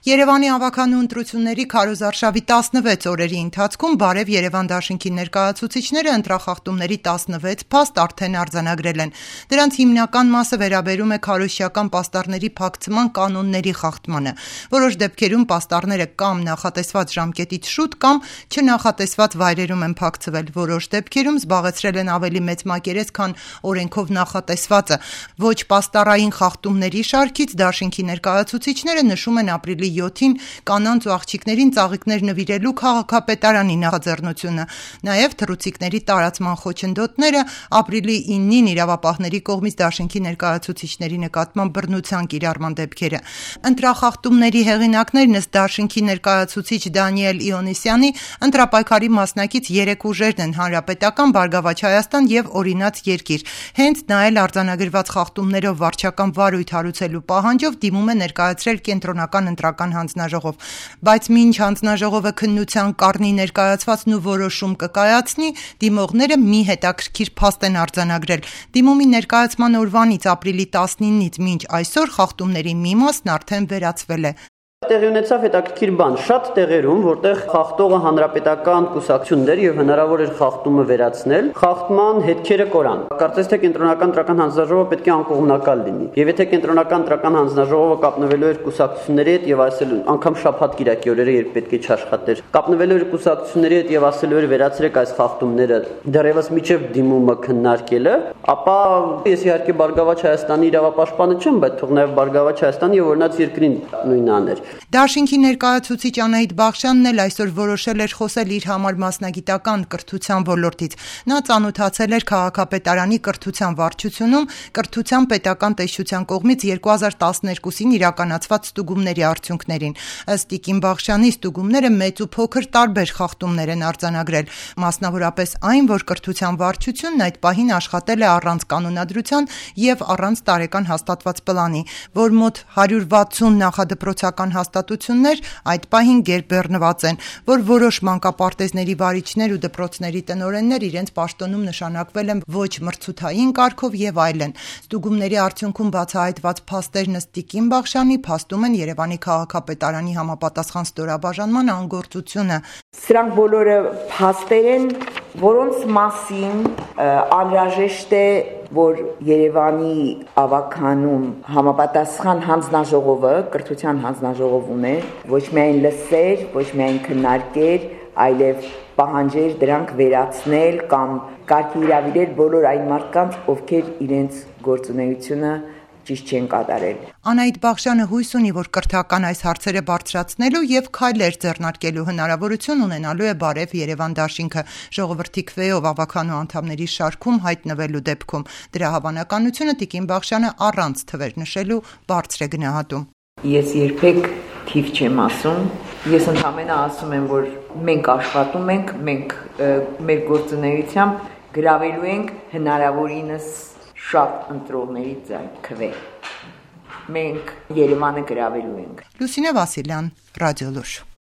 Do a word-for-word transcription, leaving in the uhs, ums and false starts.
Երևանի ավականու ընտրությունների քարոզարշավի տասնվեց օրերի ընթացքում Բարև Երևան դաշինքի ներկայացուցիչները ընտրախախտումների տասնվեց փաստ արդեն արձանագրել են։ Դրանց հիմնական մասը վերաբերում է քարոզչական պաստառների փակցման կանոնների խախտմանը։ Որոշ դեպքերում պաստառները կամ նախատեսված ժամկետից շուտ կամ չնախատեսված վայրերում են փակցվել։ Որոշ դեպքերում զբաղեցրել են ավելի մեծ մակերես, քան օրենքով նախատեսվածը։ Ոչ պաստառային խախտումների շարքից դաշինքի ներկայացուցիչները նշում են ապրիլի յոթին կանանց ու աղջիկներին ծաղիկներ նվիրելու քաղաքապետարանի նախաձեռնությունը, նաև թռուցիկների տարածման խոչընդոտները, ապրիլի իննին իրավապահների կողմից դաշինքի ներկայացուցիչների նկատմամբ բռնության կիրառման դեպքերը։ Ընտրախախտումների հեղինակներն ըստ դաշինքի ներկայացուցիչ Դանիել Իոնիսյանի ընտրապայքարի մասնակից երեք ուժերն են՝ Հանրապետական, Բարգավաճ Հայաստան և Օրինաց երկիր։ Հենց նա էլ արձանագրված խախտումներով վարչական վարույթ հարուցելու պահանջով դիմում է ներկայացրել կենտրոնական ընտրական հանձնաժողով, բայց մինչ հանձնաժողովը քննության կառնի ներկայացվածն ու որոշում կկայացնի, դիմողները մի հետաքրքիր փաստ են արձանագրել։ Դիմումի ներկայացման օրվանից ապրիլի տասնինից մինչ այսօր խախտումների մի մասն արդեն վերացվել է։ Տեղի ունեցավ հետաքրքիր բան, շատ տեղերում, որտեղ խախտողը հանրապետական կուսակցություններ եւ հնարավոր էր խախտումը վերացնել, խախտման հետքերը կորան։ Կարծես թե կենտրոնական ընտրական հանձնաժողովը պետք է անկողմնակալ լինի։ Եվ եթե կենտրոնական ընտրական հանձնաժողովը կապնվելու էր կուսակցությունների հետ եւ ասելու, անգամ շաբաթ կիրակի օրերը, երբ պետք է չաշխատեր, կապնվելու էր կուսակցությունների հետ եւ ասելու էր վերացրեք այս խախտումները, դեռևս միջև դիմումը քննարկելը, ապա ես իհարկե Բարգավաճ Հայաստանի իրավապաշտպանը չեմ, բայց թող նաեւ Բարգավաճ Հայաստանի եւ Օրինաց երկրին նույնն աներ։ Դաշինքի ներկայացուցիչ Անահիտ Բախշյանն էլ այսօր որոշել էր խոսել իր համար մասնագիտական կրթության ոլորտից։ Նա ծանոթացել էր քաղաքապետարանի կրթության վարչությունում կրթության պետական տեսչության կողմից երկու հազար տասներկուսին իրականացված ստուգումների արդյունքներին։ Ըստ Տիկին Բախշյանի ստուգումները մեծ ու փոքր տարբեր խախտումներ են արձանագրել, մասնավորապես այն, որ կրթության վարչությունն այդ պահին աշխատել է առանց կանոնադրության եւ առանց տարեկան հաստատված պլանի, որ մոտ հարյուր վաթսուն նախադպրոցական հաստատություններ այդ պահին գերբեռնված են, որ որոշ մանկապարտեզների վարիչներ ու դպրոցների տնօրեններ իրենց պաշտոնում նշանակվել են ոչ մրցութային կարգով եւ այլն։ Ստուգումների արդյունքում բացահայտված փաստերն ըստ Տիկին Բախշյանի փաստում են Երևանի քաղաքապետարանի համապատասխան ստորաբաժանման անգործությունը։ Սրանք բոլորը փաստեր են, որոնց մասին անհրաժեշտ է, որ Երևանի ավականում համապատասխան հանձնաժողովը, կրթության հանձնաժողով ուներ, ոչ միայն լսեր, ոչ միայն քննարկեր, այլև պահանջեր դրանք վերացնել կամ կարգի հրավիրել բոլոր այն մարդկանց, ովքեր իրենց գործունեությունը ճիշտ չեն կատարել։ Անահիտ Բախշյանը հույս ունի, որ կրթական այս հարցերը բարձրացնելու եւ քայլեր ձեռնարկելու հնարավորություն ունենալու է Բարև Երևան դաշինքը ժողովրդի քվեով ավականու անդամների շարքում հայտնվելու դեպքում։ Դրա հավանականությունը Տիկին Բախշյանը առանց թվեր նշելու բարձր է գնահատում։ Ես երբեք թիվ չեմ ասում, ես ընդհանրապես ասում եմ, որ մենք աշխատում ենք, մենք մեր գործունեությամբ գրավելու ենք հնարավորինս շատ ընտրողների ձայն քվե։ Մենք Երևանը գրավելու ենք։ Լուսինե Վասիլյան, Ռադիոլուր։